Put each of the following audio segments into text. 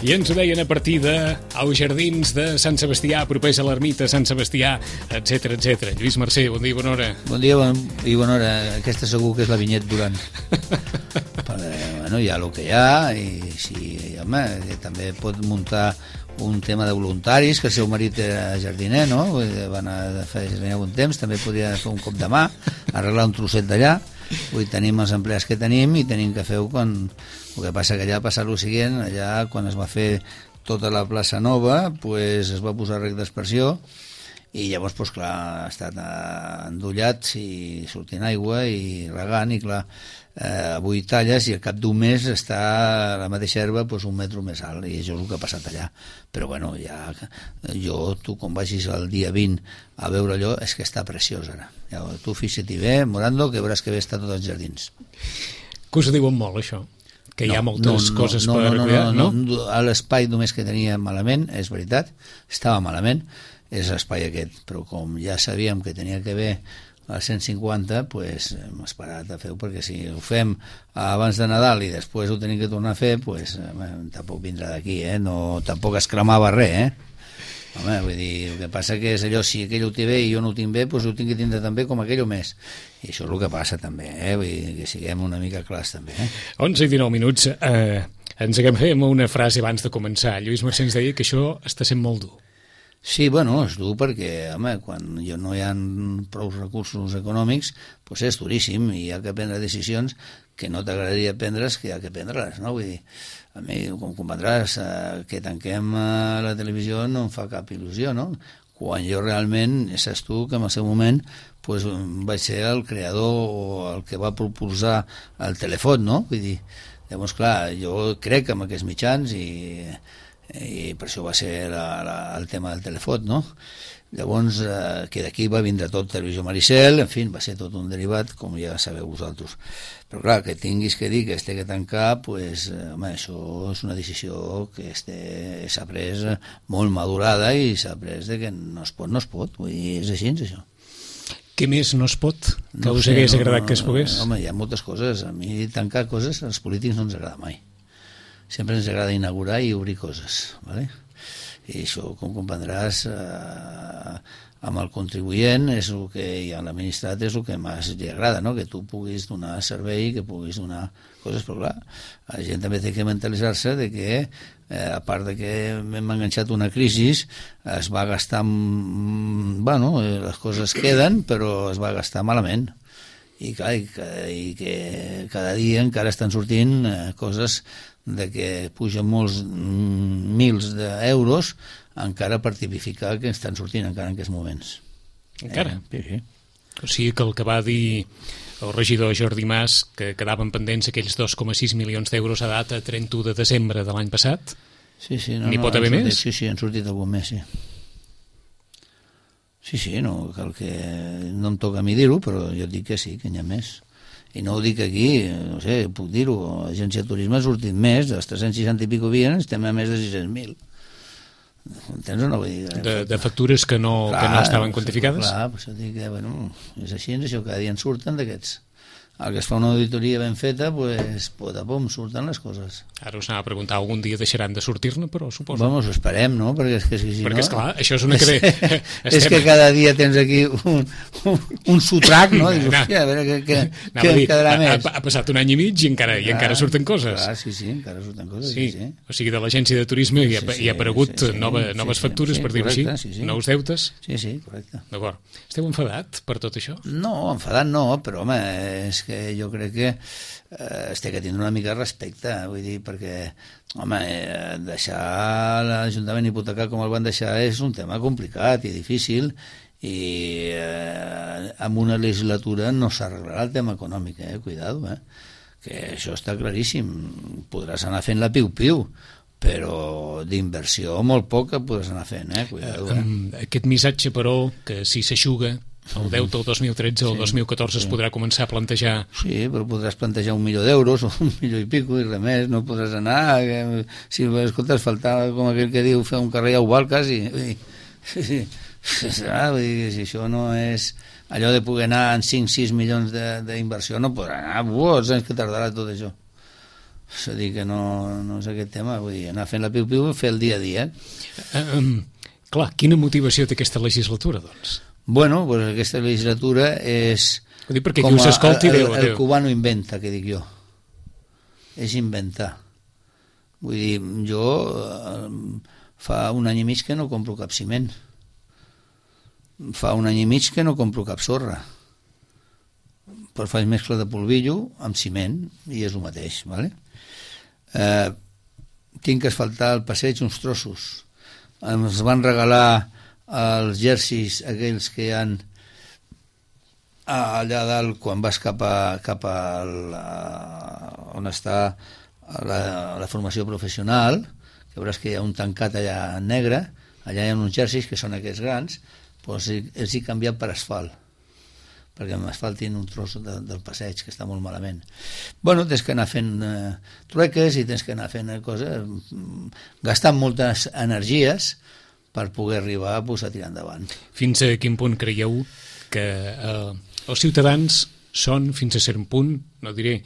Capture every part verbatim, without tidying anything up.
I ens ho deien a partir de als jardins de Sant Sebastià, propers a l'ermita Sant Sebastià, etcètera, etcètera. Lluís Mercè, bon dia i bona hora. Bon dia bon, i bona hora. Aquesta segur que és la Vinyet Duran. Però, bueno, hi ha el que hi ha, i sí, home, també pot muntar un tema de voluntaris, que el seu marit era jardiner, no? Van a fer jardiner algun temps, també podria fer un cop de mà, arreglar un trosset d'allà. Avui tenim els empleats que tenim i tenim que fer-ho quan... El que passa que allà passa el següent, allà quan es va fer tota la plaça nova, pues, es va posar rec d'aspersió i llavors, pues, clar, ha estat endollats i sortint aigua i regant, i clar, eh, avui talles i al cap d'un mes està la mateixa herba, pues, un metre més alt, i això és el que ha passat allà. Però bueno, ja, jo, tu quan vagis el dia vint a veure allò, és que està preciós ara. Ja, tu fixa-t'hi bé, Morando, que veuràs que bé està tots els jardins. Que us diuen molt, això? Que hi ha no, moltes no, coses no, per no, no, cuidar, no? no? no? A l'espai només que tenia malament, és veritat, estava malament, és l'espai aquest, però com ja sabíem que tenia que haver a cent cinquanta, pues, hem esperat a fer-ho, perquè si ho fem abans de Nadal i després ho tenim que tornar a fer, pues, eh, tampoc vindrà d'aquí, eh? No, tampoc es cremava res, eh? Home, vull dir, el que passa que és allò, si aquell ho té bé i jo no ho tinc bé, doncs ho tinc que tindre també com aquell o més. I això és el que passa també, eh? Vull dir, que siguem una mica clars també, eh? onze i dinou minuts. Eh, ens agafem una frase abans de començar. Lluís Mercè ens deia que això està sent molt dur. Sí, bueno, és dur perquè, home, quan no hi ha prou recursos econòmics, doncs és duríssim i hi ha que prendre decisions que no t'agradaria prendre's, que hi ha que prendre-les, no? Vull dir, a mi, com comprendràs, eh, que tanquem eh, la televisió no em fa cap il·lusió, no? Quan jo realment, saps tu, que en el seu moment pues, vaig ser el creador o el que va propulsar el telèfon, no? Vull dir, llavors, clar, jo crec en aquests mitjans i... i per això va ser la, la, el tema del telèfon, no? Llavors, eh, que d'aquí va vindre tot Televisió Maricel, en fi, va ser tot un derivat, com ja sabeu vosaltres. Però clar, que tinguis que dir que es té que tancar, pues, eh, home, això és una decisió que s'ha pres molt madurada i s'ha pres de que no es pot, no es pot, vull dir, és així, això. Què més no es pot? Que No us sé, hagués no, agradat no, que es pogués? Home, hi ha moltes coses. A mi tancar coses als polítics no ens agrada mai. Sempre ens agrada inaugurar i obrir coses, ¿vale? I això, com comprendràs, eh, amb el contribuent és el que, i a l'administrat és el que més li agrada, no? Que tu puguis donar servei, que puguis donar coses, però clar, la gent també té que mentalitzar-se de que, eh, a part de que hem enganxat una crisi, es va gastar, bueno, les coses queden, però es va gastar malament. I, clar, i, que, i que cada dia encara estan sortint eh, coses de que pugen molts mm, mils d'euros encara per tipificar que estan sortint encara en aquests moments. Encara? Eh, sí, sí. O sigui que el que va dir el regidor Jordi Mas, que quedaven pendents aquells dos coma sis milions d'euros a data trenta-u de desembre de l'any passat, sí, sí, no, n'hi no, pot haver sortit, més? Sí, sí, han sortit algun més, sí. Sí, sí, no, cal que no em toca a mi dir-ho, però jo dic que sí, que n'hi ha més. I no ho dic aquí, no sé, puc dir-ho, l'agència de turisme ha sortit més, dels tres-cents seixanta i pico havien, estem a més de sis-cents mil. Entens o no? Vull dir, de, de factures que no, clar, que no estaven quantificades? Clar, per això dic que, bueno, és així, és això, cada dia en surten d'aquests. Al que es fa una auditoria ben feta, pues, pot a pom, surten les coses. Ara us anava a preguntar, algun dia deixaran de sortir-ne, però suposo. Vamos, ho esperem, no? Perquè és que si, si Perquè, no... esclar, això és una que... És, és que cada dia tens aquí un, un, un sotrac, no? Dius, hòstia, a veure què, què, què dir, quedarà ha, més. Ha, ha passat un any i mig i encara, clar, i encara surten coses. Clar, sí, sí, encara surten coses, sí. sí, sí. O sigui, de l'agència de turisme hi ha, sí, sí, hi ha aparegut sí, sí, nova, sí, noves sí, factures, sí, per dir-ho així, sí, sí. nous deutes. Sí, sí, correcte. D'acord. Esteu enfadat per tot això? No, enfadat no, però home, és que jo crec que eh, es té que tindre una mica de respecte, vull dir, perquè home, eh, deixar l'Ajuntament hipotecat com el van deixar és un tema complicat i difícil i eh, amb una legislatura no s'arreglarà el tema econòmic, eh? Cuidado, eh? Que això està claríssim, podràs anar fent la piu-piu, però d'inversió molt poca podràs anar fent, eh? Cuidado, eh? Aquest missatge, però, que si s'aixuga el deute el dos mil tretze o el sí, dos mil catorze sí. Es podrà començar a plantejar... Sí, però podràs plantejar un milió d'euros o un milió i pico i res més, no podràs anar... Que, si escoltes, faltava, com aquell que diu, fer un carrer a Ubal, quasi. Sí, sí, sí, vull dir, si això no és... Allò de poder anar en cinc sis milions d'inversió no podrà anar. Buah, els anys que tardarà tot això. És a dir, que no, no és aquest tema, vull dir, anar fent la piu-piu i fer el dia a dia. Um, clar, quina motivació té aquesta legislatura, doncs? Bueno, pues aquesta legislatura és... Vull dir, perquè qui us escolti... El, Déu, el, el Déu. cubano inventa, que dic jo. És inventar. Vull dir, jo eh, fa un any i mig que no compro cap ciment. Fa un any i mig que no compro cap sorra. Però faig mescla de polvillo amb ciment i és el mateix, ¿vale? Eh, tinc que asfaltar el passeig uns trossos. Ens van regalar els jerseys aquells que hi han allà dalt quan vas cap a, cap a la, on està la, la formació professional, que veuràs que hi ha un tancat allà negre, allà hi ha uns jerseys que són aquests grans, doncs els he canviat per asfalt, perquè m'asfaltin un tros de, del passeig, que està molt malament. Bueno, tens que anar fent eh, trueques i tens que anar fent coses, gastant moltes energies per poder arribar pues, a tirar endavant. Fins a quin punt creieu que eh, els ciutadans són, fins a cert punt, no diré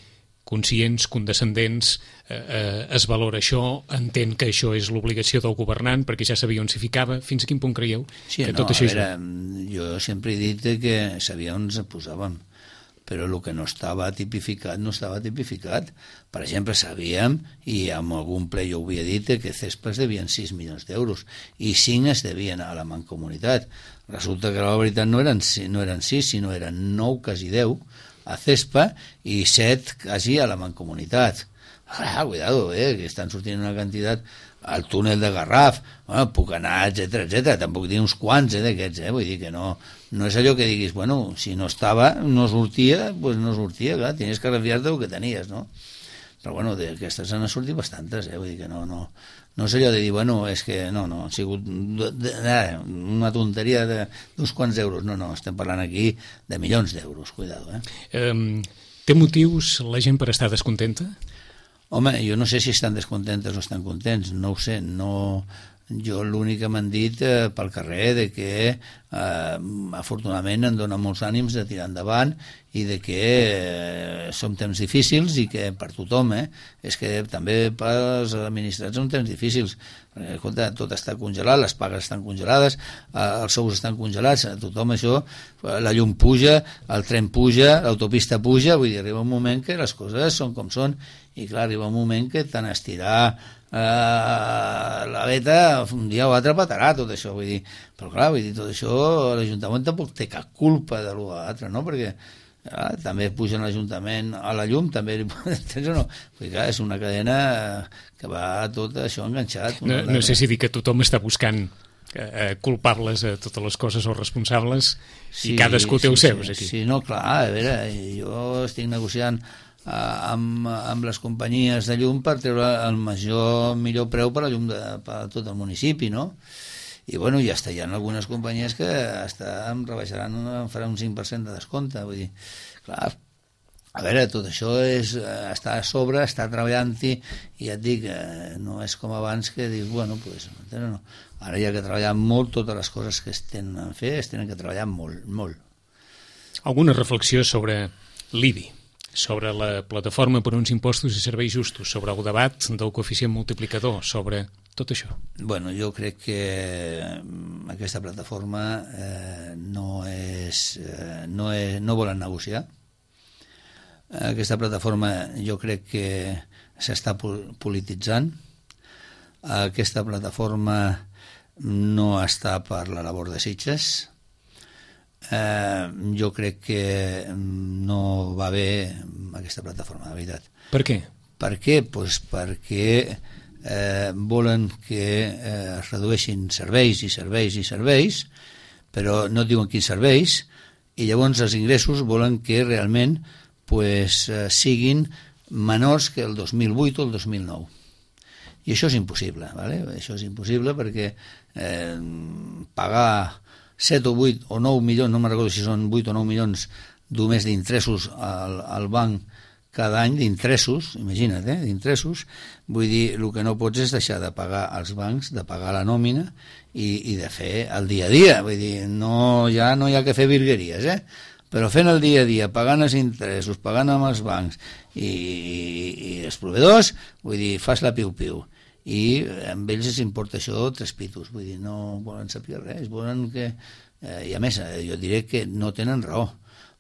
conscients, condescendents, eh, eh, es valora això, entén que això és l'obligació del governant, perquè ja sabia on s'hi ficava. Fins a quin punt creieu sí, que no, tot això a veure, és... Jo sempre he dit que sabia on ens posàvem, però el que no estava tipificat no estava tipificat. Per exemple, sabíem, i en algun ple jo ho havia dit, que Cespa es devien sis milions d'euros i cinc es devien a la Mancomunitat. Resulta que la veritat no eren, no eren sis, sinó eren nou, quasi deu, a Cespa i set quasi a la Mancomunitat. Ah, cuidado, eh, que estan sortint una quantitat al túnel de Garraf, bueno, puc anar, etcètera, etcètera, tampoc dir uns quants eh, d'aquests, eh, vull dir que no, no és allò que diguis, bueno, si no estava, no sortia, doncs pues no sortia, clar, tenies que refiar-te del que tenies, no? Però bueno, d'aquestes han sortit bastantes, eh, vull dir que no, no, no és allò de dir, bueno, és que no, no, ha sigut de, de, de, una tonteria d'uns quants euros, no, no, estem parlant aquí de milions d'euros, cuidado, eh. Um, té motius la gent per estar descontenta? Home, jo no sé si estan descontentes o estan contents, no ho sé, no... Jo l'únic que m'han dit eh, pel carrer de que eh, afortunadament em dona molts ànims de tirar endavant i de que eh, són temps difícils i que per tothom, eh, és que també pels administrats són temps difícils, perquè escolta, tot està congelat, les pagues estan congelades, eh, els sous estan congelats, a tothom això, la llum puja, el tren puja, l'autopista puja, vull dir, arriba un moment que les coses són com són i clar, arriba un moment que tant estirar Uh, la beta un dia o altre patarà tot això, vull dir, però clar, vull dir, tot això l'Ajuntament tampoc té cap culpa de l'un a l'altre, no? Perquè uh, també pugen l'Ajuntament a la llum, també entens o no? Vull dir, clar, és una cadena que va tot això enganxat. No, no sé si dir que tothom està buscant eh, culpables a totes les coses o responsables sí, i cadascú té sí, els seus sí, aquí. Sí, no, clar, a veure, jo estic negociant Amb, amb les companyies de llum per treure el major, millor preu per a llum de, per a tot el municipi, no? I bueno, ja està, hi ha algunes companyies que hasta em rebaixaran, em faran un cinc per cent de descompte, vull dir, clar, a veure, tot això és, està a sobre, està treballant-hi, i ja et dic, no és com abans que dius, bueno, pues, no. Ara hi ha que treballar molt, totes les coses que es tenen a fer, es tenen que treballar molt, molt. Alguna reflexió sobre l'I B I? Sobre la plataforma per uns impostos i serveis justos, sobre el debat del coeficient multiplicador, sobre tot això? Bueno, jo crec que aquesta plataforma eh, no és, eh, no és, no volen negociar. Aquesta plataforma jo crec que s'està polititzant. Aquesta plataforma no està per la labor de Sitges. Eh, jo crec que no va bé aquesta plataforma, de veritat. Per què? Per què? Pues perquè eh, volen que eh, es redueixin serveis i serveis i serveis, però no diuen quins serveis, i llavors els ingressos volen que realment pues, eh, siguin menors que el dos mil vuit o el dos mil nou. I això és impossible, ¿vale? Això és impossible perquè eh, pagar set o vuit o nou milions, no me'n recordo si són vuit o nou milions només d'interessos al, al banc cada any, d'interessos, imagina't, eh, d'interessos, vull dir, el que no pots és deixar de pagar als bancs, de pagar la nòmina i, i de fer el dia a dia, vull dir, no, ja no hi ha que fer virgueries, eh? però fent el dia a dia, pagant els interessos, pagant amb els bancs i, i, i els proveïdors, vull dir, fas la piu-piu. I amb ells els importa això tres pitos, vull dir, no volen saber res, volen que... Eh, I a més, jo diré que no tenen raó,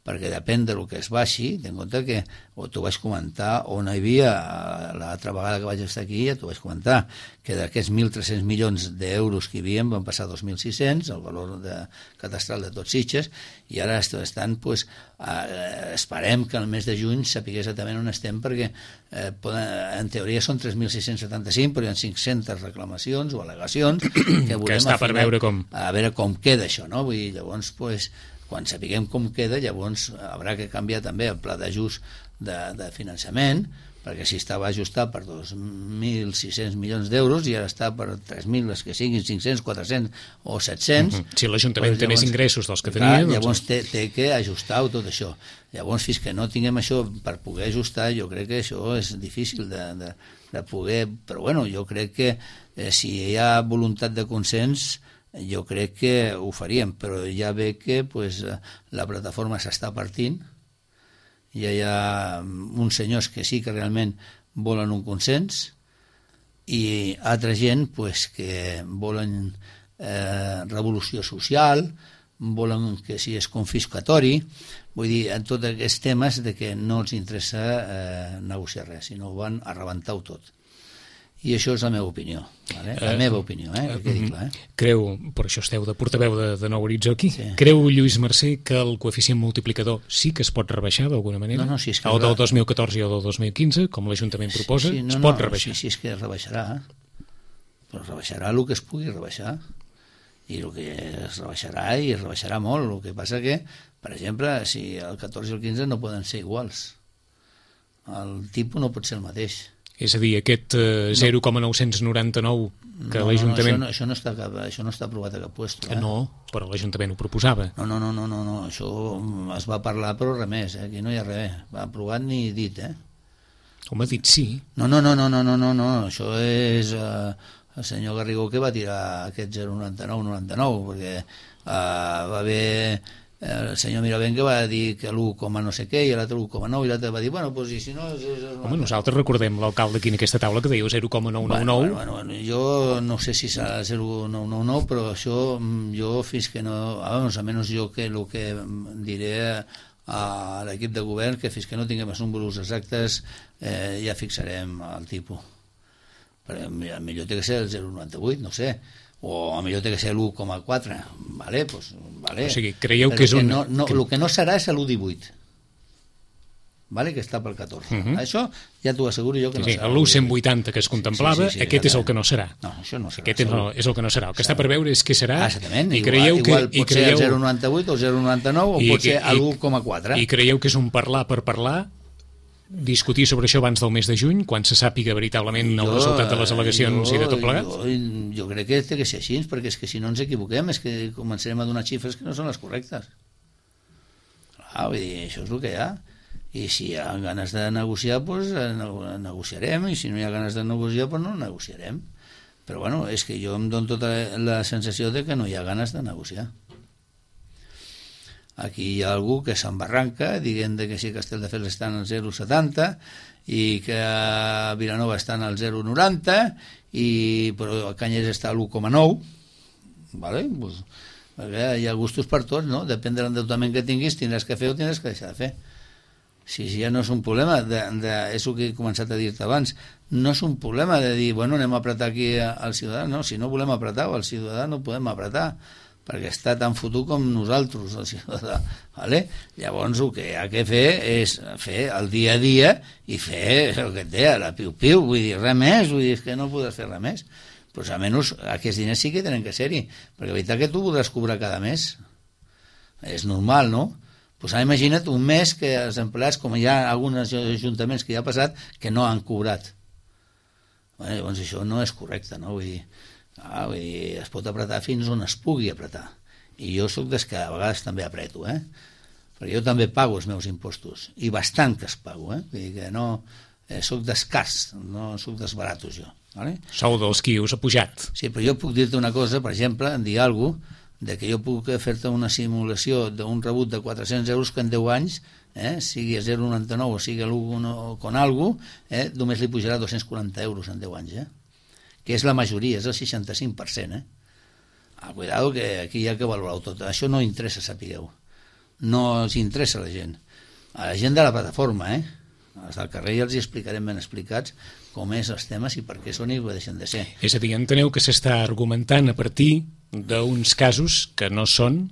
perquè depèn del que es baixi, ten en compte que, o t'ho vaig comentar, on hi havia, l'altra vegada que vaig estar aquí, ja t'ho vaig comentar, que d'aquests mil tres-cents milions d'euros que hi havia van passar dos mil sis-cents, el valor de, catastral de tots Sitges, i ara estan, pues, eh, esperem que el mes de juny sapigués exactament on estem, perquè eh, poden, en teoria són tres mil sis-cents setanta-cinc, però hi ha cinc-centes reclamacions o al·legacions que volem que està per veure com... a veure com queda això, no? Vull dir, llavors, pues, quan sapiguem com queda, llavors haurà que canviar també el pla d'ajust de, de finançament, perquè si estava ajustat per dos mil sis-cents milions d'euros i ara està per tres mil, les que siguin, cinc-cents, quatre-cents o set-cents... Uh-huh. Si l'Ajuntament doncs, té més ingressos dels que clar, tenia... Doncs... Llavors té, té que ajustar-ho tot això. Llavors, fins que no tinguem això per poder ajustar, jo crec que això és difícil de, de, de poder... Però bueno, jo crec que eh, si hi ha voluntat de consens, jo crec que ho faríem, però ja ve que pues, la plataforma s'està partint, ja hi ha uns senyors que sí que realment volen un consens i altra gent pues, que volen eh, revolució social, volen que si és confiscatori, vull dir, en tots aquests temes de que no els interessa eh, negociar res, sinó van a rebentar-ho tot. I això és la meva opinió, vale? La uh, meva opinió, eh? Que quedi clar, eh? Creu, per això esteu de portaveu de, de Nou Horitzó aquí, sí. Creu Lluís Mercè que el coeficient multiplicador sí que es pot rebaixar d'alguna manera? No, no, si és que el del dos mil catorze i el del dos mil quinze, com l'Ajuntament proposa, sí, sí, no, es pot no, rebaixar. Sí, sí, és que es rebaixarà, però es rebaixarà el que es pugui rebaixar, i el que es rebaixarà, i es rebaixarà molt. El que passa que, per exemple, si el catorze i el quinze no poden ser iguals, el tipus no pot ser el mateix. És a dir, aquest eh, zero coma nou-cents noranta-nou que no, l'Ajuntament... No, no, això, no, això, no està, això no està aprovat a cap puesto. Eh? No, però l'Ajuntament ho proposava. No, no, no, no, no, no, això es va parlar, però res més, eh? Aquí no hi ha res, va aprovat ni dit, eh? Home, dit sí. No, no, no, no, no, no, no, no. Això és eh, el senyor Garrigó que va tirar aquest zero coma noranta-nou noranta-nou, perquè eh, va haver... el senyor Miravent que va dir que l'u, no sé què, i l'altre l'u coma nou, i l'altre va dir, bueno, doncs, i si no... És, és Home, nosaltres recordem l'alcalde aquí en aquesta taula que deia zero coma nou nou nou. Bueno, bueno, bueno, jo no sé si serà zero coma nou nou nou, però això jo fins que no... Vamos, almenys jo que el que diré a l'equip de govern, que fins que no tinguem els números exactes eh, ja fixarem el tipus. Però millor té que ser el zero coma noranta-vuit, no sé, o millor té que ser l'u coma quatre, vale, pues, vale. O sigui, creieu Però que és un... No, no, que... el que no serà és l'u coma divuit, vale, que està pel catorze. Uh-huh. Això ja t'ho asseguro jo que no sí, serà. L'u cent vuitanta que es contemplava, sí, sí, sí, aquest és el que no serà. No, això no serà. Aquest és, no, és el que no serà. El que està per veure és què serà. Ah, exactament. I igual, creieu que, igual i pot creieu... ser el zero coma noranta-vuit o el zero coma noranta-nou o I, pot ser l'u coma quatre. I creieu que és un parlar per parlar, discutir sobre això abans del mes de juny, quan se sàpiga veritablement jo, el resultat de les al·legacions jo, i de tot plegat? Jo, jo crec que té que ser així, perquè és que si no ens equivoquem és que començarem a donar xifres que no són les correctes. Clar, vull dir, això és el que hi ha. I si hi ha ganes de negociar, doncs negociarem, i si no hi ha ganes de negociar, doncs no negociarem. Però bueno, és que jo em dono tota la sensació de que no hi ha ganes de negociar. Aquí hi ha algú que s'embarranca dient que si Castelldefels estan al zero coma setanta i que a Vilanova estan al zero coma noranta, i, però a Canyelles està a l'u coma nou, vale? Pues, perquè hi ha gustos per tots, no? Depèn de l'endeutament que tinguis, tindràs que fer o tindràs que deixar de fer. Si, si ja no és un problema, de, de, és el que he començat a dir-te abans, no és un problema de dir, bueno, anem a apretar aquí al ciutadà, no, si no volem apretar, al ciutadà no podem apretar, perquè està tan fotut com nosaltres, el ciutadà. Vale? Llavors el que hi ha que fer és fer el dia a dia i fer el que et deia, la piu-piu, vull dir, res més, vull dir, que no podràs fer res més. Però almenys aquests diners sí que tenen que ser-hi, perquè la veritat que tu podràs cobrar cada mes. És normal, no? Pues ara imagina't un mes que els empleats, com hi ha alguns ajuntaments que ja ha passat, que no han cobrat. Bueno, llavors això no és correcte, no? Vull dir, ah, vull dir, es pot apretar fins on es pugui apretar, i jo sóc des que a vegades també apreto, eh? Perquè jo també pago els meus impostos, i bastant que es pago, eh? Vull dir que no, eh, sóc d'escars, no sóc desbaratos jo, vale? Sou dels qui us ha pujat. Sí, però jo puc dir-te una cosa, per exemple, en dir alguna cosa, de que jo puc fer-te una simulació d'un rebut de quatre-cents euros que en deu anys, eh, sigui a zero coma noranta-nou o sigui l'un con algo, eh, només li pujarà dos-cents quaranta euros en deu anys, eh? Que és la majoria, és el seixanta-cinc per cent. Eh? Ah, cuidado, que aquí hi ha que valorar tot. Això no interessa, sapigueu. No els interessa a la gent. A la gent de la plataforma, eh? Els del carrer ja els hi explicarem ben explicats com és els temes i per què són i ho deixen de ser. És a dir, enteneu que s'està argumentant a partir d'uns casos que no són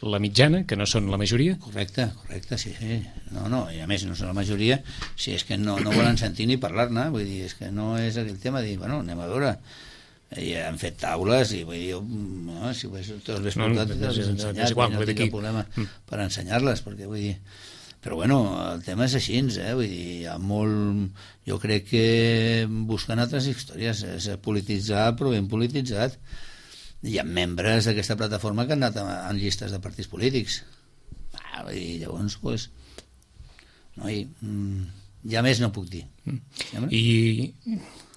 la mitjana, que no són la majoria? Correcte, correcte, sí, sí. No, no, i a més no són la majoria, si és que no, no volen sentir ni parlar-ne, vull dir, és que no és aquell tema de dir, bueno, anem a veure, i han fet taules i vull dir, no, si te'ls ves portat, te'ls ves ensenyat, no tinc cap problema per ensenyar-les, perquè vull dir, però bueno, el tema és així, eh? Vull dir, hi ha molt, jo crec que busquen altres històries, és polititzar, però ben polititzat. Hi ha membres d'aquesta plataforma que han anat en llistes de partits polítics. Ah, vull dir, llavors, pues, no, i, ja més no puc dir. I,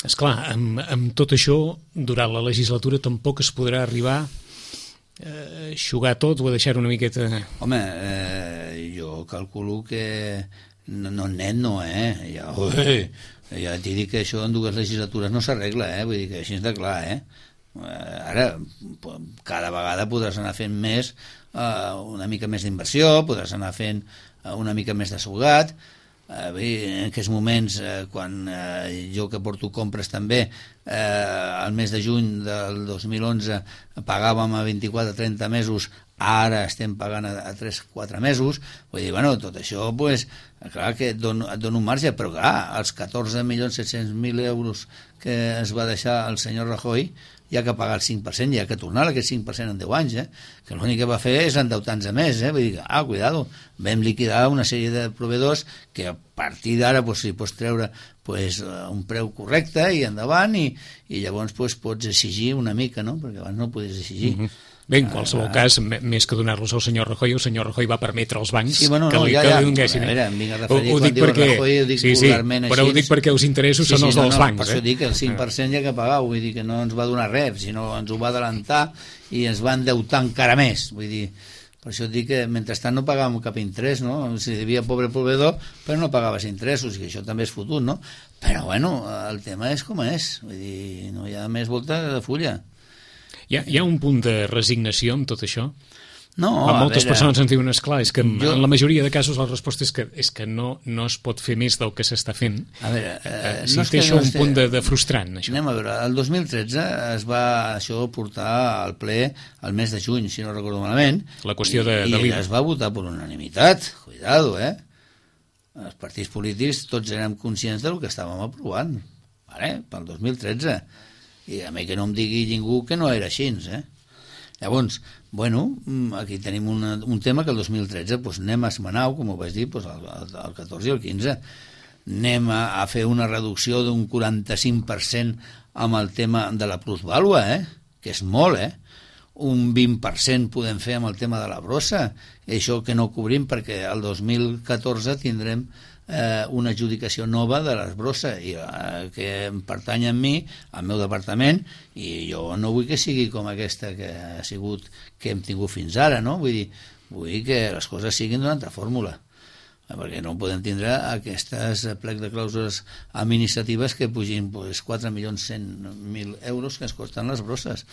esclar, amb, amb tot això, durant la legislatura tampoc es podrà arribar a xugar tot o a deixar una miqueta... Home, eh, jo calculo que no, no net no, eh? Ja, ui, ja t'he dit que això en dues legislatures no s'arregla, eh? Vull dir que així està clar, eh? Ara, cada vegada podràs anar fent més, eh, una mica més d'inversió, podràs anar fent una mica més de sugat. Eh, bé, en aquests moments, eh, quan eh, jo que porto compres també, eh, al mes de juny del dos mil onze pagàvem a vint-i-quatre a trenta mesos, ara estem pagant a, a tres a quatre mesos, vull dir, bueno, tot això, pues, clar que et dona, et dona un marge, però clar, els catorze milions set-cents mil euros que es va deixar el senyor Rajoy, hi ha que pagar el cinc per cent, hi ha que tornar aquest cinc per cent en deu anys, eh? Que l'únic que va fer és endeutar-nos a més, eh? Vull dir, ah, cuidado, vam liquidar una sèrie de proveïdors que a partir d'ara pues, si pots treure pues, un preu correcte i endavant i, i llavors pues, pots exigir una mica, no? Perquè abans no ho podies exigir. Mm-hmm. Bé, en qualsevol ah, cas, més que donar-los al senyor Rajoy, el senyor Rajoy va permetre als bancs sí, bueno, no, que li, ja, que ja, li donessin. A veure, em vinc a referir ho, ho quan diu perquè, Rajoy, ho dic sí, sí, vulgarment però així. ho dic perquè els interessos sí, són sí, els no, dels no, bancs. Per això dic que el cinc per cent hi ha que pagar, vull dir que no ens va donar res, sinó ens ho va adelantar i ens va endeutar encara més. Vull dir, per això dic que mentrestant no pagàvem cap interès, no? Si devia pobre proveïdor, però no pagaves interessos, i això també és fotut, no? Però bueno, el tema és com és, vull dir, no hi ha més volta de fulla. Hi ha, hi ha un punt de resignació amb tot això? No, a moltes a veure, persones ens diuen, esclar, és que jo, en la majoria de casos la resposta és que, és que no, no es pot fer més del que s'està fent. A veure, eh, si no té això no un punt de, de frustrant, això. Anem a veure, el dos mil tretze es va això portar al ple el mes de juny, si no recordo malament, la qüestió de, i, de i es va votar per unanimitat, cuidado, eh? Els partits polítics tots érem conscients del que estàvem aprovant, vale? Pel dos mil tretze, i a mi que no em digui ningú que no era així, eh? Llavors, bueno, aquí tenim una, un tema que el dos mil tretze pues, anem a esmenar, com ho vaig dir, pues, el, el, el catorze i el quinze. Anem a, a fer una reducció d'un quaranta-cinc per cent amb el tema de la plusvàlua, eh? Que és molt, eh? Un vint per cent podem fer amb el tema de la brossa, i això que no cobrim perquè el dos mil catorze tindrem eh, una adjudicació nova de les brosses i, eh, que pertany a mi, al meu departament, i jo no vull que sigui com aquesta que ha sigut, que hem tingut fins ara, no? Vull dir, vull que les coses siguin d'una altra fórmula, perquè no podem tindre aquestes plec de clàusules administratives que pugin pues, quatre milions cent mil euros que es costen les brosses.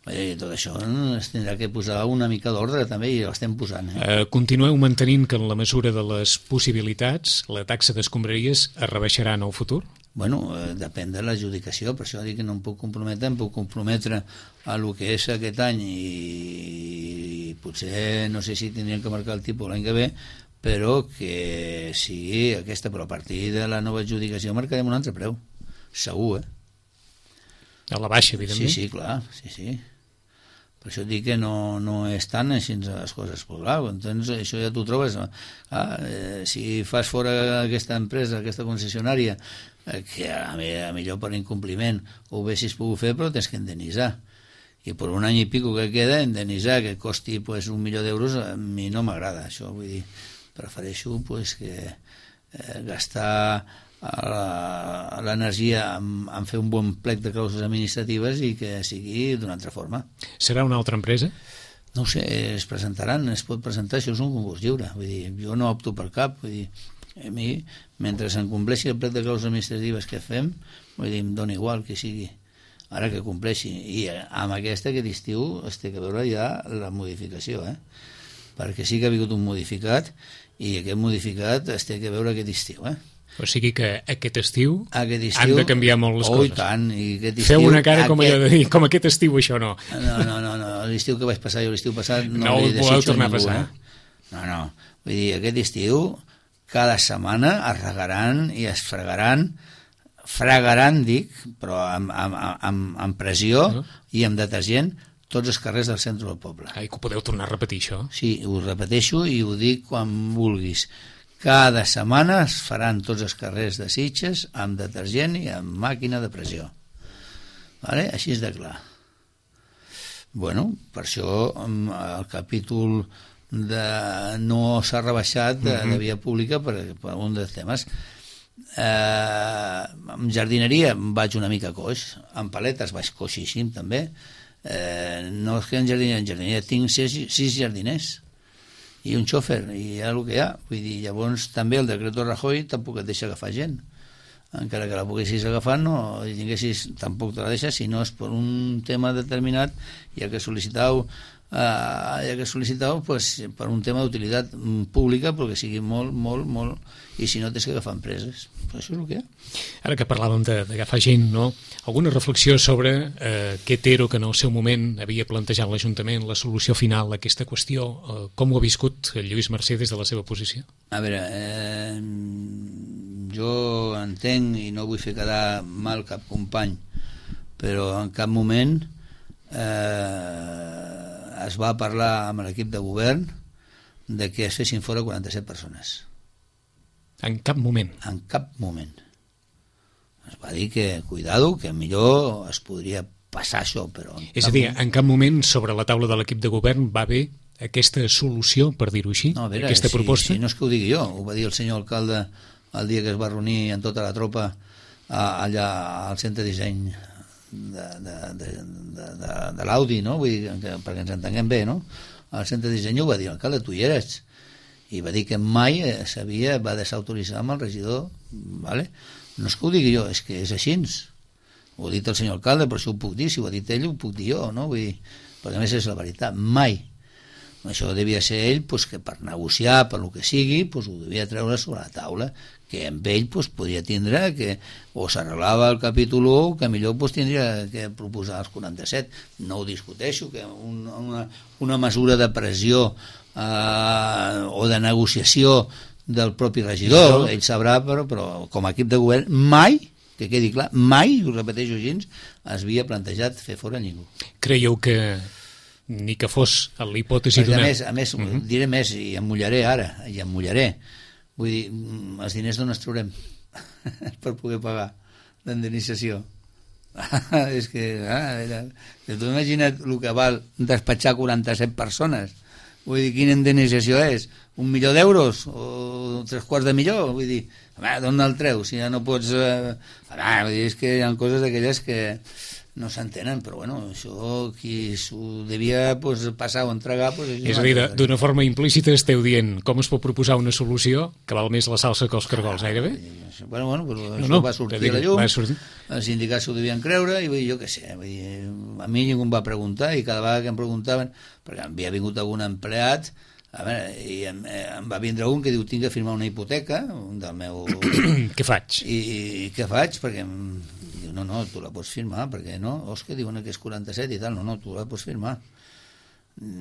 I tot això es tindrà que posar una mica d'ordre també, i ho estem posant. Eh? Uh, continueu mantenint que en la mesura de les possibilitats la taxa d'escombraries es rebaixarà en el futur? Bueno, eh, depèn de l'adjudicació, per això dic que no em puc comprometre, em puc comprometre a lo que és aquest any i, i potser no sé si tindríem que marcar el tipus l'any que ve, però que sigui aquesta, però a partir de la nova adjudicació marcarem un altre preu, segur, eh? A la baixa, evidentment. Sí, sí, clar, sí, sí. Per això dic que no, no és tant així les coses. Pues, clar, doncs això ja t'ho trobes. Ah, eh, si fas fora aquesta empresa, aquesta concessionària, eh, que a, a millor per incompliment ho haguessis pogut fer, però tens que indemnitzar. I per un any i pico que queda, indemnitzar, que costi pues, un milió d'euros, a mi no m'agrada. Això vull dir, prefereixo pues, que eh, gastar l'energia en, en fer un bon plec de clàusules administratives i que sigui d'una altra forma. Serà una altra empresa? No ho sé, es presentaran, es pot presentar, això és un concurs lliure, vull dir, jo no opto per cap, vull dir, a mi, mentre se'n compleixi el plec de clàusules administratives que fem, vull dir, em dona igual que sigui, ara que compleixi, i amb aquesta aquest estiu es té que veure ja la modificació, eh? Perquè sí que ha vingut un modificat, i aquest modificat es té que veure aquest estiu, eh? O sigui que aquest estiu, aquest estiu han de canviar molt les oh, coses. I tant, i aquest estiu... Feu una cara com aquest... allò de dir, com aquest estiu això no. No, no, no, no. l'estiu que vaig passar jo l'estiu passat no, no li voleu desitjo tornar a ningú, a passar. Eh? No, no, vull dir, aquest estiu cada setmana es regaran i es fregaran, fregaran, dic, però amb, amb, amb, amb pressió no? I amb detergent, tots els carrers del centre del poble. Ai, que ho podeu tornar a repetir, això? Sí, ho repeteixo i ho dic quan vulguis. Cada setmana es faran tots els carrers de Sitges amb detergent i amb màquina de pressió. Vale? Així és de clar. Bueno, per això el capítol de no s'ha rebaixat de, de via pública per, per un dels temes. Eh, amb jardineria vaig una mica coix, amb paletes vaig coixíssim també. Eh, no és que en jardineria, en jardineria tinc sis, sis jardiners i un xòfer, i hi ha el que hi ha. Vull dir, llavors també el decret Rajoy tampoc et deixa agafar gent, encara que la poguessis agafar no, i tinguessis, tampoc te la deixa si no és per un tema determinat, ja que sol·licitau eh, ja que sol·licitau pues, per un tema d'utilitat pública, perquè sigui molt, molt, molt, i si no tens que agafar empreses, però això és el que hi ha. Ara que parlàvem d'agafar gent, no? Alguna reflexió sobre eh, què Tero, que en el seu moment havia plantejat l'Ajuntament, la solució final a aquesta qüestió, eh, com ho ha viscut el Lluís Mercè des de la seva posició? A veure, eh, jo entenc i no vull fer quedar mal cap company, però en cap moment eh, es va parlar amb l'equip de govern de que es fessin fora quaranta-set persones. En cap moment? En cap moment. Es va dir que, cuidado, que millor es podria passar això, però... És a dir, en cap moment sobre la taula de l'equip de govern va haver aquesta solució, per dir-ho així, no, veure, aquesta si, proposta? Si no és que ho digui jo, ho va dir el senyor alcalde el dia que es va reunir amb tota la tropa a, allà al centre de disseny de, de, de, de, de, de l'Audi, no? Vull dir, que, perquè ens entenguem bé, no? Al centre de disseny ho va dir l'alcalde, tu hi eres, i va dir que mai s'havia, va desautoritzar amb el regidor, vale? No és que ho digui jo, és que és així, ho ha dit el senyor alcalde, però això ho puc dir, si ho ha dit ell ho puc dir jo, no? Vull dir, perquè a més és la veritat, mai. Això devia ser ell pues, que per negociar, per lo que sigui, pues, ho devia treure sobre la taula, que amb ell pues, podia tindre que o s'arreglava el capítol u, que millor pues, tindria que proposar els quaranta-set. No ho discuteixo, que un, una, una mesura de pressió eh, o de negociació del propi regidor, ell sabrà, però, però com a equip de govern mai, que quedi clar, mai, ho repeteixo així, es havia plantejat fer fora ningú. Creieu que ni que fos l'hipòtesi d'una... A més, a més uh -huh. diré més, i em mullaré ara, i em mullaré. Vull dir, els diners d'on els traurem per poder pagar l'indemnització? És que, ah, era... tu imagina't el que val despatxar quaranta-set persones. Vull dir, quina indemnització és? Un milió d'euros? O tres quarts de milió? Vull dir, d'on el treus? Si ja no pots... Eh... Ah, vull dir, és que hi ha coses d'aquelles que no s'entenen, però bueno, això qui s'ho devia pues, passar o entregar... Pues, és a dir, d'una forma implícita esteu dient com es pot proposar una solució que val més la salsa que els cargols, gairebé? Ah, bueno, bueno, però no, això no, va sortir a la llum, sortir. Els sindicats s'ho devien creure, i vull dir, jo què sé, vull dir, a mi ningú em va preguntar, i cada vegada que em preguntaven, perquè havia vingut algun empleat, a veure, i em, em va vindre un que diu, tinc que firmar una hipoteca, un del meu... Què faig? I, i què faig? Perquè em diu, no, no, tu la pots firmar, perquè no, os que diuen que és quaranta-set i tal, no, no, tu la pots firmar.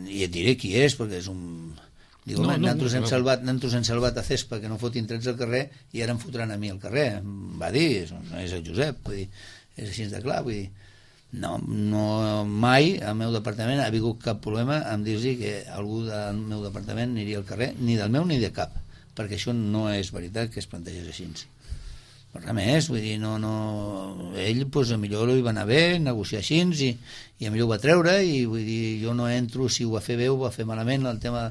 I et diré qui és, perquè és un... Diu, no, no, nosaltres no, hem no. salvat, nosaltres hem salvat a Cespa que no fotin trets al carrer i ara em fotran a mi al carrer. Em va dir, no és el Josep, vull dir, és així de clar, vull dir, no, no, mai al meu departament ha hagut cap problema amb dir-los que algú del meu departament aniria al carrer, ni del meu ni de cap, perquè això no és veritat que es plantegés així. Per res més, vull dir, no, no... ell, pues, a millor li va anar bé, negociar així, i, i a millor ho va treure, i vull dir, jo no entro si ho va fer bé o ho va fer malament, el tema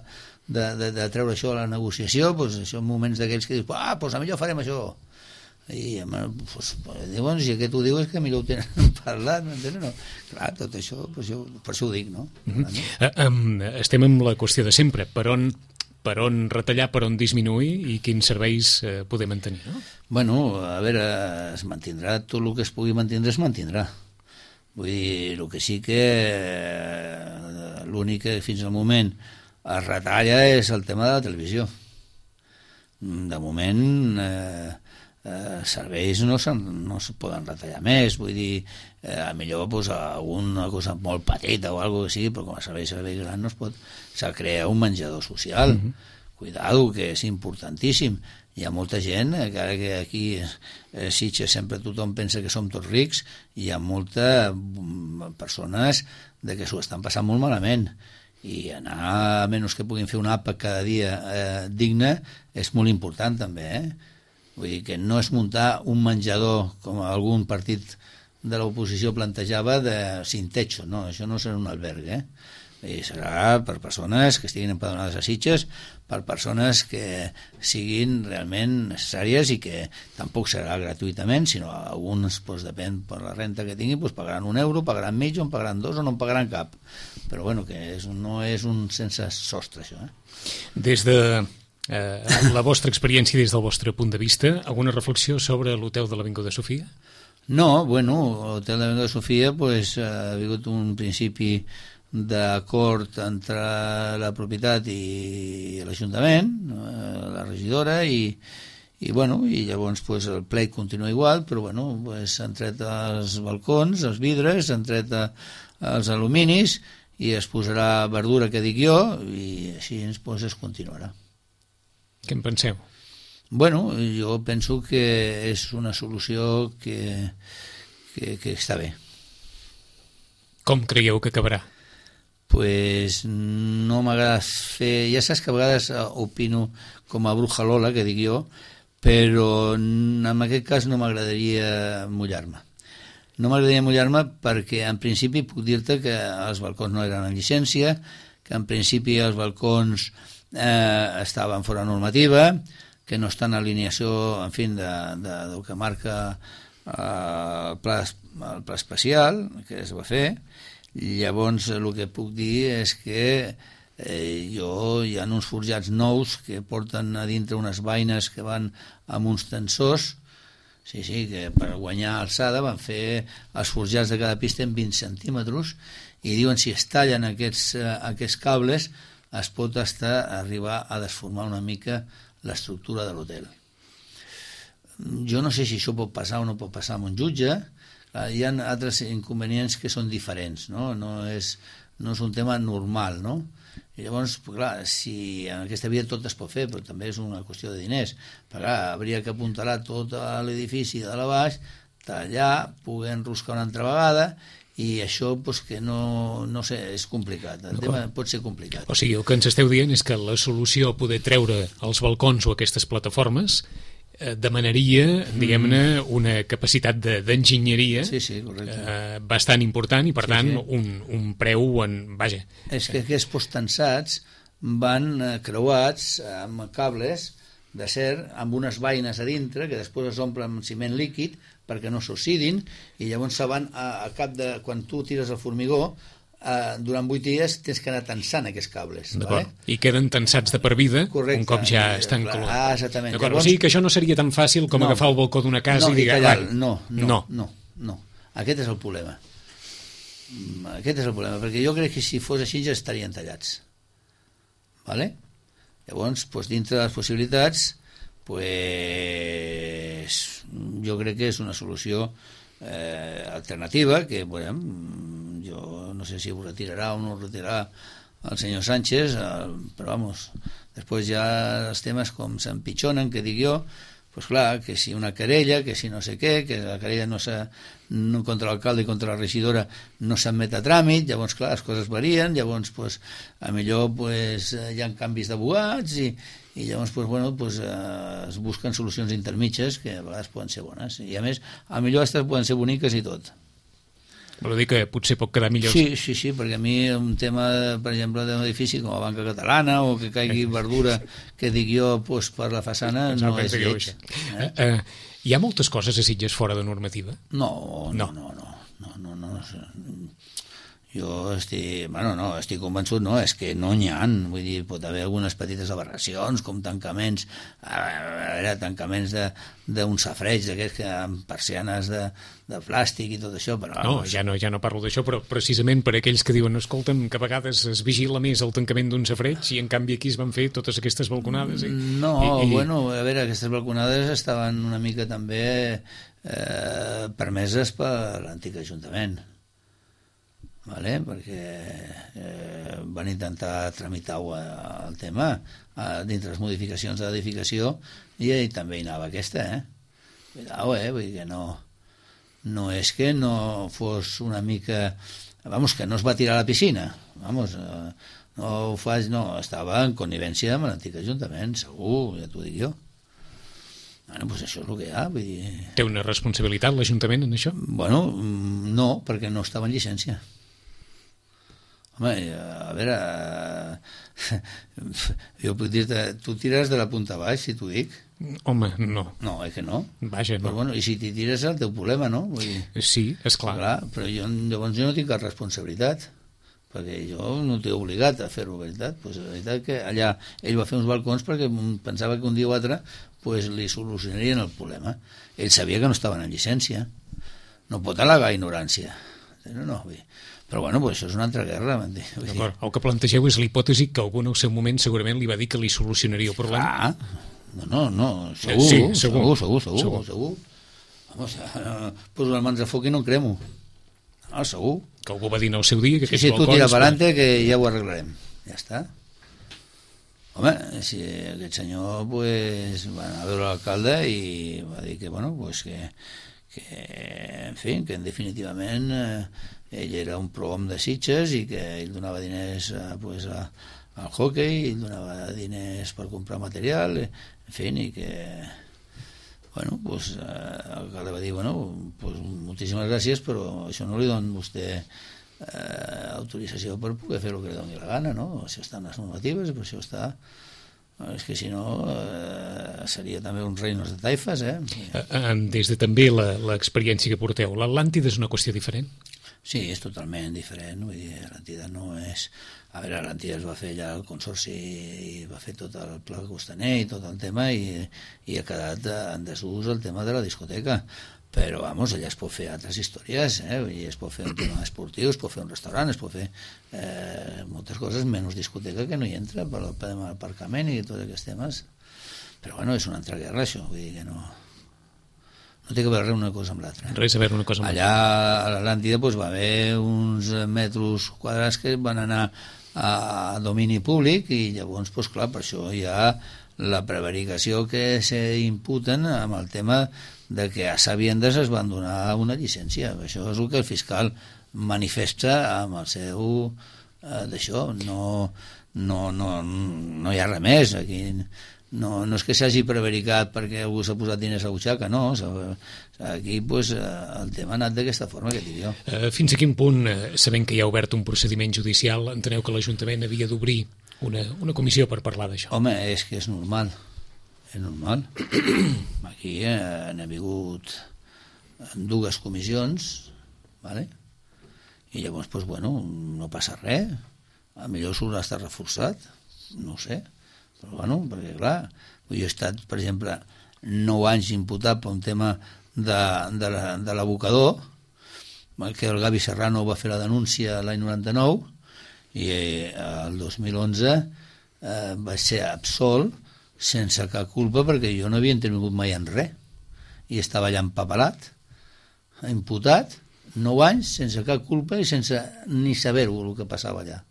de, de, de treure això a la negociació, pues, això en moments d'aquells que dius, ah, pues a millor farem això. i pues, diuen, si aquest ho diu és que millor ho tenen parlat, m'entens? No? Clar, tot això, per això, per això ho dic, no? Mm-hmm. uh, um, estem amb la qüestió de sempre, per on, per on retallar, per on disminuir i quins serveis uh, poder mantenir, no? Bueno, a veure, es mantindrà tot el que es pugui mantindre, es mantindrà. Vull dir, el que sí que eh, l'únic que fins al moment es retalla és el tema de la televisió. De moment eh, eh, serveis no, no es poden retallar més, vull dir, eh, a millor pues, alguna cosa molt petita o alguna que sigui, però com a servei, servei gran no es pot, s'ha de crear un menjador social. Mm-hmm. Cuidado, que és importantíssim. Hi ha molta gent, encara que aquí a Sitges sempre tothom pensa que som tots rics, hi ha molta persones de que s'ho estan passant molt malament, i anar, a menys que puguin fer un àpat cada dia eh, digne, és molt important també, eh? Vull dir que no és muntar un menjador com algun partit de l'oposició plantejava de sin techo, no, això no serà un alberg, eh? I serà per persones que estiguin empadronades a Sitges, per persones que siguin realment necessàries i que tampoc serà gratuïtament, sinó alguns, doncs, depèn per la renta que tinguin, doncs pagaran un euro, pagaran mig, o en pagaran dos, o no en pagaran cap. Però bueno, que és, no és un sense sostre, això. Eh? Des de eh, la vostra experiència, des del vostre punt de vista, alguna reflexió sobre l'hotel de l'Avinguda Sofia? No, bueno, l'hotel de l'Avinguda Sofia pues, ha hagut un principi d'acord entre la propietat i l'Ajuntament, la regidora, i, i, bueno, i llavors pues, el plec continua igual, però bueno, pues, s'han tret els balcons, els vidres, s'han tret els aluminis i es posarà verdura, que dic jo, i així pues, es continuarà. Què en penseu? Bueno, jo penso que és una solució que, que, que està bé. Com creieu que acabarà? Pues no m'agrada fer... Ja saps que a vegades opino com a bruja Lola, que dic jo, però en aquest cas no m'agradaria mullar-me. No m'agradaria mullar-me perquè en principi puc dir-te que els balcons no eren en llicència, que en principi els balcons eh, estaven fora normativa, que no estan en alineació, en fi, de, de, del que marca eh, el, pla, el pla especial que es va fer. Llavors el que puc dir és que eh, jo hi ha uns forjats nous que porten a dintre unes vaines que van amb uns tensors, sí, sí, que per guanyar alçada van fer els forjats de cada pista en vint centímetres, i diuen si es tallen aquests, eh, aquests cables es pot estar, arribar a desformar una mica l'estructura de l'hotel. Jo no sé si això pot passar o no pot passar amb un jutge. Hi ha altres inconvenients que són diferents, no? No és, no és un tema normal, no? I llavors, clar, si en aquesta vida tot es pot fer, però també és una qüestió de diners. Però clar, hauria que apuntalar tot l'edifici de la baix, tallar, poder enroscar una altra vegada, i això doncs, que no, no sé, és complicat. El tema pot ser complicat. O sigui, el que ens esteu dient és que la solució a poder treure els balcons o aquestes plataformes demanaria, diguem-ne, una capacitat d'enginyeria sí, sí, eh, bastant important i, per sí, tant, sí. Un, un preu en... Vaja. És que aquests postensats van creuats amb cables d'acer amb unes vaines a dintre que després es omplen amb ciment líquid perquè no s'oxidin, i llavors se van a, a cap de... Quan tu tires el formigó, Uh, durant vuit dies tens que anar tensant aquests cables, vale? I queden tensats de per vida. Correcte. Un cop ja estan clar, ah, exactament. Llavors... O sigui que això no seria tan fàcil com no, agafar el balcó d'una casa no, i dir... Tallar, no, no, no, no, no. Aquest és el problema. Aquest és el problema, perquè jo crec que si fos així ja estarien tallats. Vale? Llavors, doncs, dintre de les possibilitats, pues, jo crec que és una solució eh, alternativa que, bueno, jo no sé si ho retirarà o no ho retirarà el senyor Sánchez, eh, però vamos, després ja els temes com s'empitjonen, que dic jo, pues clar, que si una querella, que si no sé què, que la querella no s'ha, no, contra l'alcalde i contra la regidora no s'admet a tràmit, llavors clar, les coses varien, llavors pues, a millor pues, hi ha canvis d'abogats i, i llavors pues, bueno, pues, eh, es busquen solucions intermitges que a vegades poden ser bones, i a més a millor aquestes poden ser boniques i tot. Vol dir que potser pot quedar millor. Sí, sí, sí, perquè a mi un tema, per exemple, d'un edifici com la Banca Catalana o que caigui verdura, que dic jo, pues, per la façana, no és lleig. Eh? Eh, hi ha moltes coses a Sitges fora de normativa? No, no, no, no, no, no, no, no. Jo estic, bueno, no, estic convençut, no, és que no n'hi ha, vull dir, pot haver algunes petites aberracions, com tancaments, a veure, tancaments d'un safreig, d'aquests que amb persianes de, de plàstic i tot això, però... No, ja no, ja no parlo d'això, però precisament per aquells que diuen, escolta'm, que a vegades es vigila més el tancament d'un safreig i en canvi aquí es van fer totes aquestes balconades. I, no, i, i... bueno, a veure, aquestes balconades estaven una mica també eh, permeses per l'antic Ajuntament. Vale? Perquè eh, van intentar tramitar el tema eh, dintre les modificacions de l'edificació i, i també hi anava aquesta, eh? Cuidao, eh? Vull dir que no, no és que no fos una mica... Vamos, que no es va tirar a la piscina. Vamos, eh, no ho faig, no. Estava en connivència amb l'antic Ajuntament, segur, ja t'ho dic jo. Bueno, doncs això és el que hi ha. Vull dir... Té una responsabilitat l'Ajuntament en això? Bueno, no, perquè no estava en llicència. Home, a veure, jo puc dir-te, tu tires de la punta baix, si t'ho dic. Home, no. No, és que no. Vaja, no. Però bueno, i si t'hi tires és el teu problema, no? Vull dir, sí, esclar. clar. Però jo, llavors jo no tinc cap responsabilitat, perquè jo no t'he obligat a fer-ho, veritat. Pues la veritat que allà ell va fer uns balcons perquè pensava que un dia o altre pues, li solucionarien el problema. Ell sabia que no estaven en llicència. No pot al·legar ignorància. No, no, vull dir. Però bueno, pues això és una altra guerra. D'acord, el que plantegeu és l'hipòtesi que algú en el seu moment segurament li va dir que li solucionaria el problema. Ah, no, no, no, segur, sí, segur, segur, segur, segur, segur. Vamos, eh, poso les mans a foc i no en cremo. Ah, segur. Que algú va dir en el seu dia que sí, aquests sí, balcons... tu tira per adelante que ja ho arreglarem. Ja està. Home, si aquest senyor, pues, va anar a veure l'alcalde i va dir que, bueno, pues que, que en fi, que en definitivament... Eh, ell era un pro-hom de Sitges i que ell donava diners eh, pues, a, al hockey, ell donava diners per comprar material, en fi, i que bueno, pues, eh, el que va dir, bueno, pues, moltíssimes gràcies, però això no li dona vostè eh, autorització per poder fer el que li doni la gana, no? Això està en les normatives, per això està... És que si no eh, seria també uns reinos de taifes, eh? Des de també l'experiència que porteu, l'Atlàntida és una qüestió diferent? Sí, és totalment diferent, vull dir, l'Atlàntida no és... A veure, l'Atlàntida es va fer allà el consorci i va fer tot el pla costaner i tot el tema i, i ha quedat en desús el tema de la discoteca. Però, vamos, allà es pot fer altres històries, eh? Vull dir, es pot fer un tema esportiu, es pot fer un restaurant, es pot fer eh, moltes coses, menys discoteca que no hi entra per el tema del aparcament i tots aquests temes. Però, bueno, és una altra guerra, això, vull dir que no... No té que veure una cosa amb l'altra. Res a veure una cosa amb l'altra. Allà a l'Atlàntida pues, va haver uns metres quadrats que van anar a domini públic i llavors, pues, clar, per això hi ha la prevaricació que s'imputen amb el tema de que a sabiendes es van donar una llicència. Això és el que el fiscal manifesta amb el seu eh, d'això. No, no, no, no hi ha res més aquí. No, no és que s'hagi prevaricat perquè algú s'ha posat diners a la butxaca, no. Aquí pues, el tema ha anat d'aquesta forma que dic jo. Fins a quin punt, sabent que hi ha obert un procediment judicial, enteneu que l'Ajuntament havia d'obrir una, una comissió per parlar d'això? Home, és que és normal. És normal. Aquí eh, han hagut dues comissions, vale? I llavors, pues, bueno, no passa res. A millor s'haurà estat reforçat, no ho sé. Però bueno, perquè clar, jo he estat, per exemple, nou anys imputat per un tema de, de, la, de l'abocador, que el Gavi Serrano va fer la denúncia l'any noranta-nou i eh, el dos mil onze eh, va ser absolt sense cap culpa perquè jo no havia intervingut mai en res i estava allà empapelat, imputat, nou anys sense cap culpa i sense ni saber-ho el que passava allà.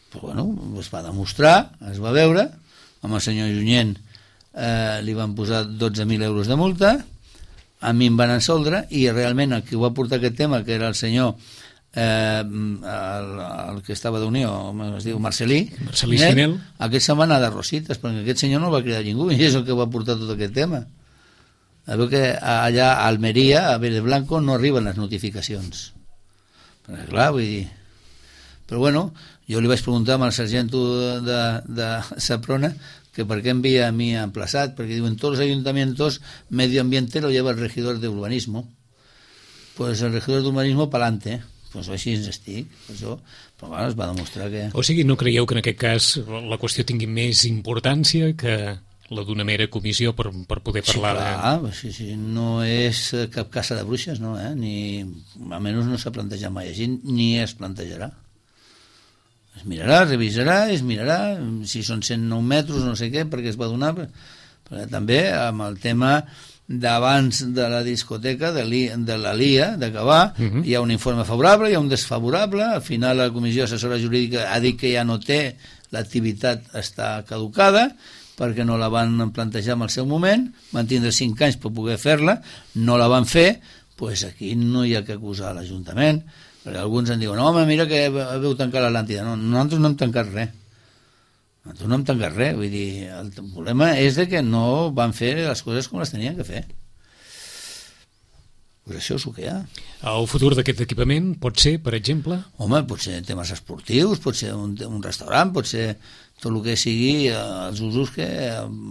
Però bueno, es va demostrar, es va veure, amb el senyor Junyent eh, li van posar dotze mil euros de multa, a mi em van absoldre i realment el que va portar aquest tema, que era el senyor eh, el, el que estava d'Unió, es diu Marcelí, Marcelí Sinel, aquest se'n va anar de rosites, perquè aquest senyor no va cridar ningú i és el que va portar tot aquest tema. A veure que allà a Almeria, a Vélez Blanco, no arriben les notificacions. Perquè, clar, vull dir... Però bueno, jo li vaig preguntar al sargento de, de Saprona que per què envia a mi emplaçat, perquè diuen, todos los ayuntamientos medio ambiente lo lleva el regidor de urbanismo. Pues el regidor de urbanismo pa'lante, pues així ens estic, això, però bueno, es va demostrar que... O sigui, no creieu que en aquest cas la qüestió tingui més importància que la d'una mera comissió per, per poder parlar? Sí, clar, de... sí, sí, no és cap caça de bruixes, no, eh? Ni, almenys no s'ha plantejat mai així, ni es plantejarà. Es mirarà, es revisarà, es mirarà, si són cent nou metres, no sé què, perquè es va donar, perquè també amb el tema d'abans de la discoteca, de, de la L I A, d'acabar, uh -huh. hi ha un informe favorable, hi ha un desfavorable, al final la comissió assessora jurídica ha dit que ja no té, l'activitat està caducada, perquè no la van plantejar en el seu moment, van tindre cinc anys per poder fer-la, no la van fer, doncs aquí no hi ha que acusar l'Ajuntament, perquè alguns en diuen, home, mira que veu tancar l'Atlàntida. No, nosaltres no hem tancat res. Nosaltres no hem tancat res. Vull dir, el problema és de que no van fer les coses com les tenien que fer. Pues això és el que hi ha. El futur d'aquest equipament pot ser, per exemple? Home, pot ser temes esportius, pot ser un, un restaurant, pot ser tot el que sigui els usos que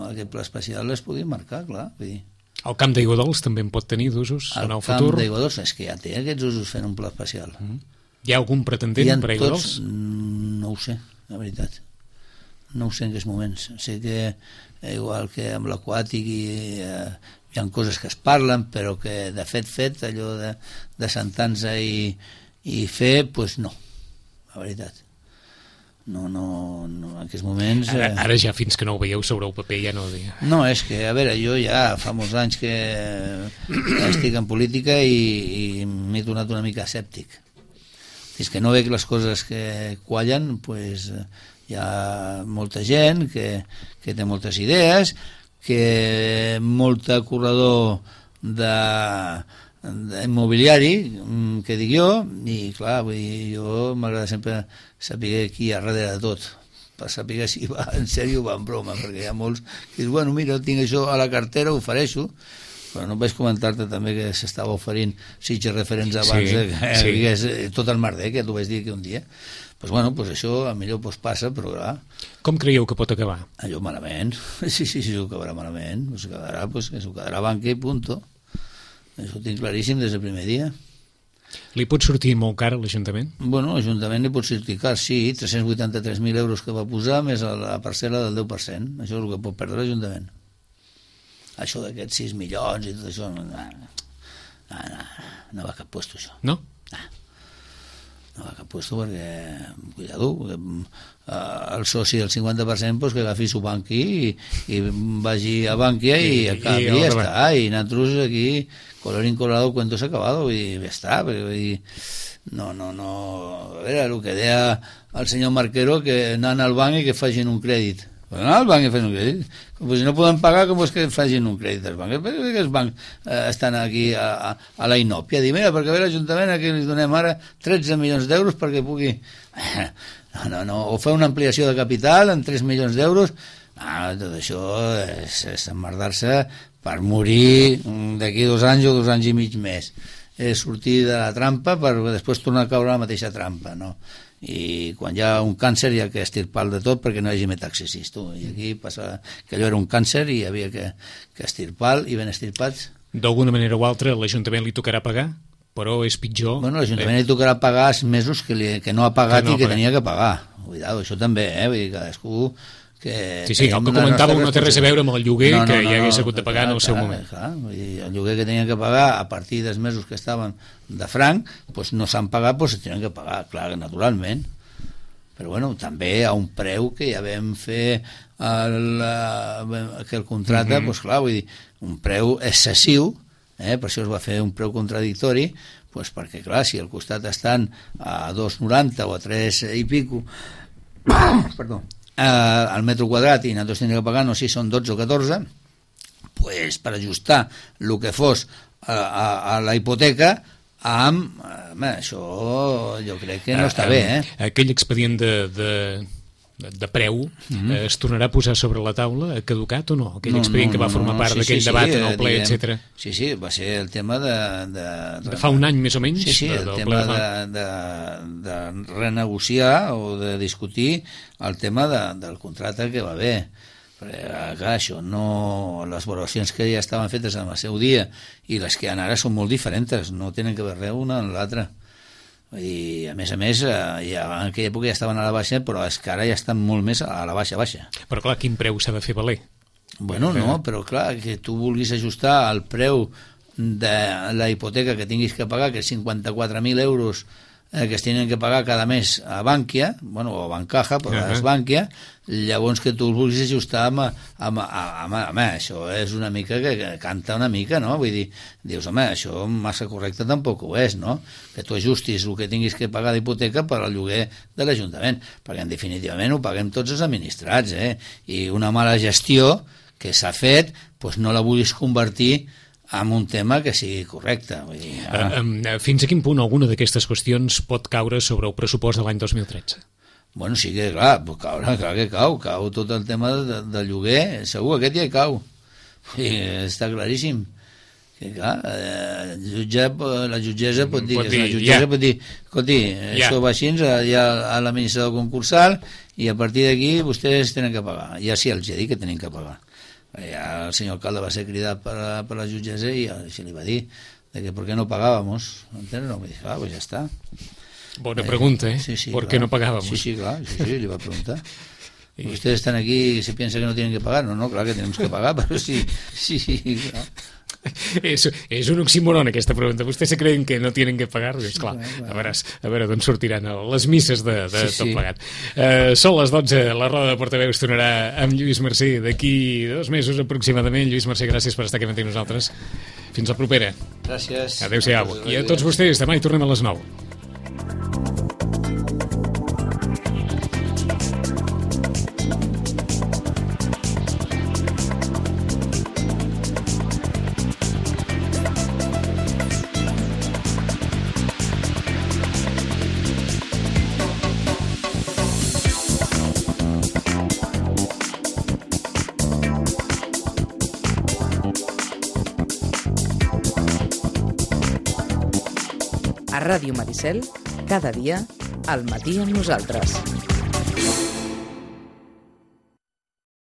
aquest pla especial es puguin marcar, clar. Vull dir. El camp d'aigua dolç també en pot tenir d'usos en el futur? El camp d'aigua dolç és que ja té aquests usos fent un pla especial. Mm. Hi ha algun pretendent per aigua dolç? No ho sé, la veritat. No ho sé en aquests moments. Sé que igual que amb l'aquàtic hi, eh, hi ha coses que es parlen, però que de fet fet, allò de, de sentar-se i, i fer, doncs pues no, la veritat. No, no, no, en aquests moments... Ara, ara ja fins que no ho veieu sobre el paper ja no ho dic. No, és que, a veure, jo ja fa molts anys que estic en política i, i m'he tornat una mica escèptic. Fins que no veig les coses que quallen, doncs pues, hi ha molta gent que, que té moltes idees, que molta corredor de... immobiliari, que dic jo, i clar, vull dir, jo m'agrada sempre saber qui hi ha darrere de tot, per saber si va en sèrio o va en broma, perquè hi ha molts que diuen, bueno, mira, tinc això a la cartera, ho ofereixo, però no vaig comentar-te també que s'estava oferint sitges referents abans, sí, que sí. Digués, tot el Marder, que t'ho vaig dir que un dia, pues bueno, pues això a millor pues passa, però clar... Com creieu que pot acabar? Allò malament, sí, sí, sí, ho acabarà malament, pues quedarà, pues, que s'ho quedarà banca i punto. Això ho tinc claríssim des del primer dia. Li pot sortir molt car a l'Ajuntament? Bueno, l'Ajuntament li pot sortir car, sí, tres-cents vuitanta-tres mil euros que va posar més a la parcel·la del deu per cent. Això és el que pot perdre l'Ajuntament. Això d'aquests sis milions i tot això, no, no, no, no va a cap puesto, això. No? No, no va a cap puesto perquè, cuidado, el soci del cinquanta per cent pues, que agafi su banqui i, i vagi a Bànquia i, i acabi, i ja està. I nosaltres aquí... colorín colorado, cuento s'ha acabado i ja està, perquè dir, no, no, no, a veure, el que deia el senyor Marquero, que anant al banc i que facin un crèdit. Pues anar al banc i facin un crèdit. Pues si no poden pagar, com és que facin un crèdit als bancs? Perquè els bancs eh, estan aquí a, a, a la inòpia. Dir, mira, perquè ve l'Ajuntament aquí li donem ara tretze milions d'euros perquè pugui... No, no, no, o fer una ampliació de capital en tres milions d'euros. Ah, tot això és, és emmerdar-se per morir d'aquí dos anys o dos anys i mig més. És sortir de la trampa per després tornar a caure a la mateixa trampa, no? I quan hi ha un càncer hi ha que estirpar de tot perquè no hi hagi metaxesis, tu. I aquí passa que allò era un càncer i hi havia que, que estirpar i ben estirpats. D'alguna manera o altra l'Ajuntament li tocarà pagar? Però és pitjor... Bueno, l'Ajuntament eh? li tocarà pagar els mesos que, li, que no ha pagat que no i que tenia que pagar. Cuidado, això també, eh? Vull dir, cadascú... Que sí, sí, el que comentàveu no té res a veure amb el lloguer no, no, que no, ja hagués hagut de pagar clar, en el seu clar, moment. Clar, el lloguer que tenien que pagar a partir dels mesos que estaven de franc, doncs no s'han pagat, doncs se tenen que pagar, clar, naturalment. Però bueno, també a un preu que ja vam fer el, que el contracte, mm-hmm. doncs clar, vull dir, un preu excessiu, eh? Per això es va fer un preu contradictori, doncs perquè clar, si al costat estan a dos coma noranta o a tres i pico, perdó, Uh, al metro quadrat i nosaltres tindrem que pagar, no sé si són dotze o catorze, pues, per ajustar el que fos a, a, a la hipoteca amb... Uh, això jo crec que no està uh, bé, eh? Aquell expedient de, de de preu, mm-hmm. eh, es tornarà a posar sobre la taula, ha caducat o no? Aquell no, expedient no, no, que va formar no, no, part sí, d'aquell sí, debat sí, en el ple, diguem, etcètera. Sí, sí, va ser el tema de... De, de, de fa un any més o menys? Sí, sí, el de, tema de, de, de renegociar o de discutir el tema de, del contracte que va haver. Perquè, clar, això no... Les valoracions que ja estaven fetes en el seu dia i les que hi ha ara són molt diferents, no tenen que veure una en l'altra. I a més a més ja, en aquella època ja estaven a la baixa, però és que ara ja estan molt més a la baixa baixa. Però clar, quin preu s'ha de fer valer? Bueno, no, però clar, que tu vulguis ajustar el preu de la hipoteca que tinguis que pagar, que és cinquanta-quatre mil euros eh, que es tenen que pagar cada mes a Bankia, bueno, o a Bancaja, però uh-huh. és Bankia, llavors que tu el vulguis ajustar amb, amb, amb, amb, amb això és una mica que, que canta una mica, no? Vull dir, dius, home, això massa correcte tampoc ho és, no? Que tu ajustis el que tinguis que pagar d'hipoteca per al lloguer de l'Ajuntament, perquè en definitivament ho paguem tots els administrats, eh? I una mala gestió que s'ha fet, doncs no la vulguis convertir en un tema que sigui correcte. Vull dir, ah. uh, fins a quin punt alguna d'aquestes qüestions pot caure sobre el pressupost de l'any dos mil tretze? Bueno, sí que, clar, caure, clar que cau, cau tot el tema de, de lloguer, segur, aquest ja hi cau. I està claríssim. Que, clar, eh, jutge, la jutgessa pot dir, pot dir, la jutgessa ja. pot dir, escolti, ja. això va així, hi ha l'administrador concursal i a partir d'aquí vostès tenen que pagar. Ja sí, els he dit que tenen que pagar. Ja el senyor alcalde va ser cridat per, per la jutgessa i així li va dir de que per què no pagàvamos, entens? No, va dir, ah, pues ja està. Bona pregunta, eh? Sí, sí, ¿Por clar. qué no pagábamos? Sí, sí, claro, sí, sí, le iba a preguntar. Y ustedes están aquí y se piensa que no tienen que pagar. No, no, claro que tenemos que pagar, pero sí, sí, sí, claro. És, és un oxímoron aquesta pregunta. Vostès se creuen que no tenen que pagar? És clar, a veure, a veure d'on sortiran les misses de, de sí, tot plegat. Sí. Uh, són les dotze, la roda de portaveus tornarà amb Lluís Mercè d'aquí dos mesos aproximadament. Lluís Mercè, gràcies per estar aquí amb nosaltres. Fins la propera. Gràcies. Adéu-siau. I a tots vostès, demà hi tornem a les nou. A Ràdio Maricel, cada dia, al matí amb nosaltres.